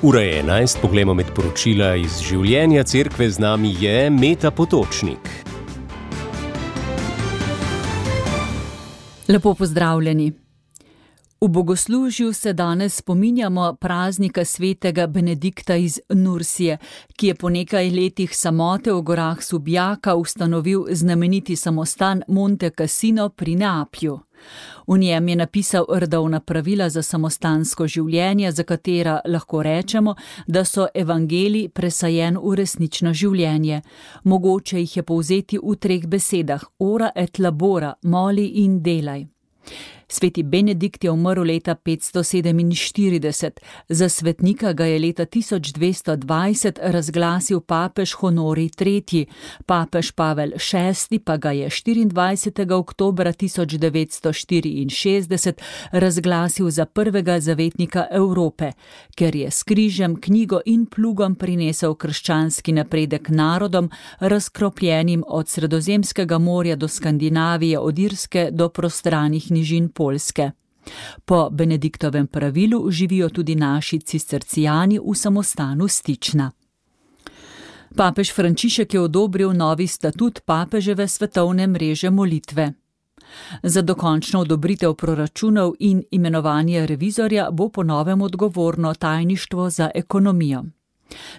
Ura je 11, poglejmo med poročila iz življenja cerkve, z nami je Meta Potočnik. Lepo pozdravljeni. V bogoslužju se danes spominjamo praznika svetega Benedikta iz Nursije, ki je po nekaj letih samote v gorah Subjaka ustanovil znameniti samostan Monte Cassino pri Neaplju. V njem je napisal redovna pravila za samostansko življenje, za katera lahko rečemo, da so evangeliji presajen v resnično življenje. Mogoče jih je povzeti v 3 besedah: ora et labora, moli in delaj. Sveti Benedikt je umrl leta 547, za svetnika ga je leta 1220 razglasil papež Honorij III., papež Pavel VI. Pa ga je 24. oktobra 1964 razglasil za prvega zavetnika Evrope, ker je s križem, knjigo in plugom prinesel krščanski napredek narodom, razkropljenim od Sredozemskega morja do Skandinavije, od Irske do prostranih nižin Poljske. Po Benediktovem pravilu živijo tudi naši cistercijani v samostanu Stična. Papež Frančišek je odobril novi statut papeževe svetovne mreže molitve. Za dokončno odobritev proračunov in imenovanje revizorja bo po novem odgovorno tajništvo za ekonomijo.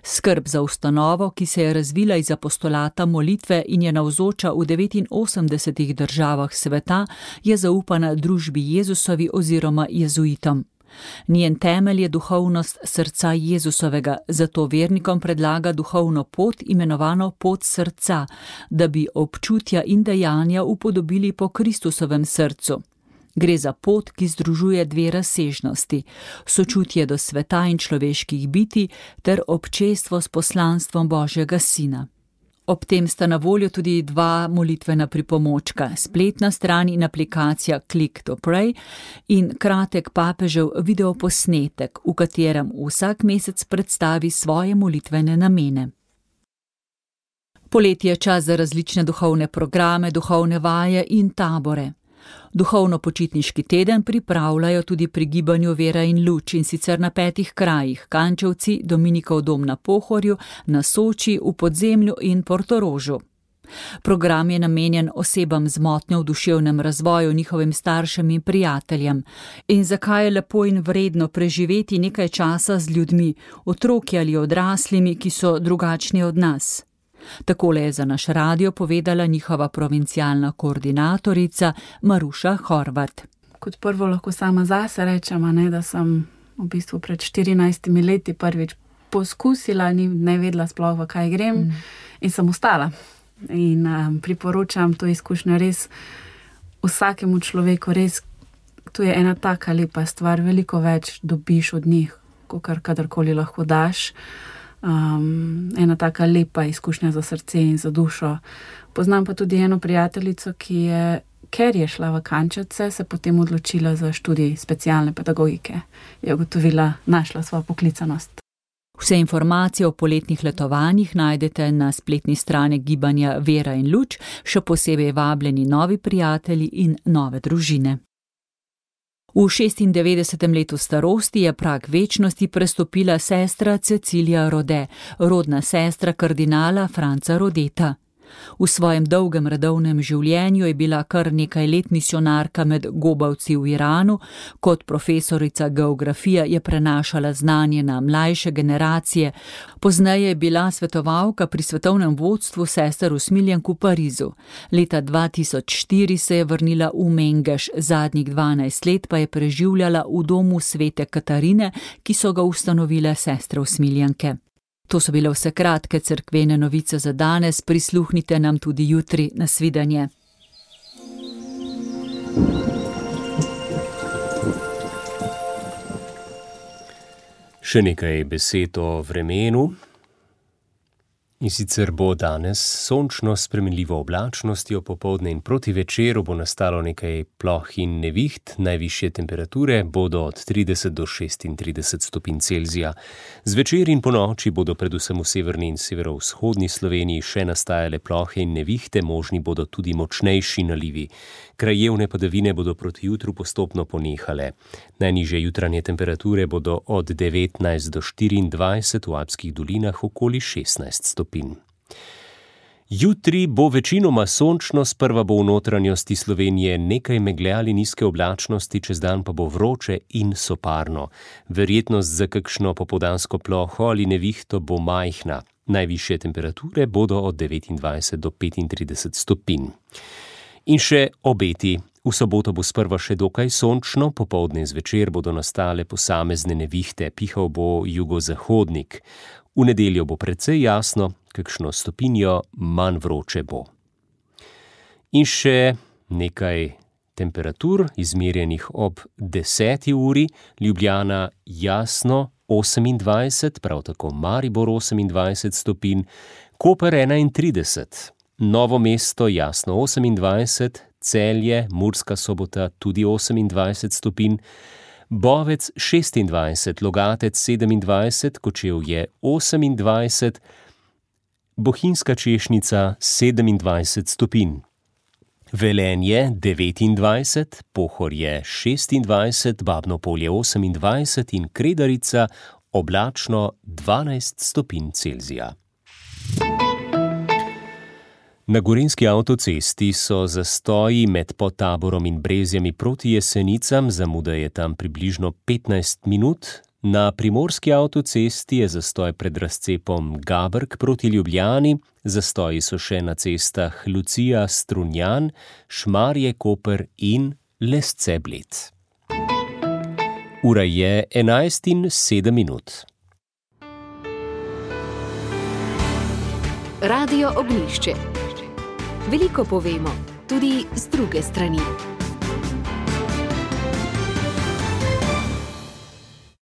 Skrb za ustanovo, ki se je razvila iz apostolata molitve in je navzoča v 89 državah sveta, je zaupana družbi Jezusovi oziroma jezuitom. Njen temelj je duhovnost srca Jezusovega, zato vernikom predlaga duhovno pot, imenovano pot srca, da bi občutja in dejanja upodobili po Kristusovem srcu. Gre za pot, ki združuje 2 razsežnosti: sočutje do sveta in človeških bitij ter občestvo s poslanstvom Božjega Sina. Ob tem sta na voljo tudi 2 molitvena pripomočka, spletna stran in aplikacija Click to Pray in kratek papežev videoposnetek, v katerem vsak mesec predstavi svoje molitvene namene. Poletje je čas za različne duhovne programe, duhovne vaje in tabore. Duhovno-počitniški teden pripravljajo tudi pri gibanju Vera in luč, in sicer na 5 krajih: Kančevci, Dominikov dom na Pohorju, na Soči, v Podzemlju in Portorožu. Program je namenjen osebam z motnjo v duševnem razvoju, njihovim staršem in prijateljem. In zakaj je lepo in vredno preživeti nekaj časa z ljudmi, otroki ali odraslimi, ki so drugačni od nas? Takole je za naš radio povedala njihova provincialna koordinatorica Maruša Horvat. Kot prvo lahko sama zase rečem, da sem v bistvu pred 14 leti prvič poskusila, ne vedela sploh, v kaj grem, in sem ostala. In priporočam to izkušnjo res vsakemu človeku, res, to je ena taka lepa stvar, veliko več dobiš od njih, kakor kadarkoli lahko daš. Ena taka lepa izkušnja za srce in za dušo. Poznam pa tudi eno prijateljico, ki je, ker je šla v Kančevce, se potem odločila za študij specialne pedagogike. Je ugotovila, našla svojo poklicanost. Vse informacije o poletnih letovanjih najdete na spletni strani gibanja Vera in luč, še posebej vabljeni novi prijatelji in nove družine. V 96. letu starosti je prag večnosti prestopila sestra Cecilija Rode, rodna sestra kardinala Franca Rodeta. V svojem dolgem redovnem življenju je bila kar nekaj let misionarka med gobavci v Iranu, kot profesorica geografije je prenašala znanje na mlajše generacije, pozneje je bila svetovalka pri svetovnem vodstvu sester usmiljenk v Parizu. Leta 2004 se je vrnila v Mengeš, zadnjih 12 let pa je preživljala v domu svete Katarine, ki so ga ustanovile sestre usmiljenke. To so bile vse kratke cerkvene novice za danes, prisluhnite nam tudi jutri. Nasvidenje. Še nekaj besed o vremenu. In sicer bo danes sončno s spremenljivo oblačnostjo, popoldne in proti večeru bo nastalo nekaj ploh in neviht, najvišje temperature bodo od 30 do 36 stopinj Celzija. Zvečer in ponoči bodo predvsem v severni in severovzhodni Sloveniji še nastajale plohe in nevihte, možni bodo tudi močnejši nalivi. Krajevne padavine bodo proti jutru postopno ponehale. Najnižje jutranje temperature bodo od 19 do 24, v Alpskih dolinah okoli 16 stopinj. Jutri bo večinoma sončno, sprva bo v notranjosti Slovenije nekaj megle ali nizke oblačnosti, čez dan pa bo vroče in soparno. Verjetnost za kakšno popoldansko ploho ali nevihto bo majhna. Najvišje temperature bodo od 29 do 35 stopinj. In še obeti. V soboto bo sprva še dokaj sončno, popoldne in zvečer bodo nastale posamezne nevihte, pihal bo jugozahodnik. V nedeljo bo precej jasno, kakšno stopinjo manj vroče bo. In še nekaj temperatur, izmerjenih ob 10. uri, Ljubljana jasno 28, prav tako Maribor 28 stopinj, Koper 31, Novo mesto jasno 28, Celje, Murska Sobota tudi 28 stopinj, Bovec 26, Logatec 27, Kočevje 28, Bohinjska Češnica 27 stopinj, Velenje 29, Pohorje 26, Babno Polje 28 in Kredarica oblačno 12 stopinj Celzija. Na Gorenjski avtocesti so zastoji med Podtaborom in Brezjami proti Jesenicam, zamuda je tam približno 15 minut. Na Primorski avtocesti je zastoj pred razcepom Gabrk proti Ljubljani, zastoji so še na cestah Lucija, Strunjan, Šmarje, Koper in Lesce-Bled. Ura je 11:07. Radio Ognjišče. Veliko povemo, tudi z druge strani.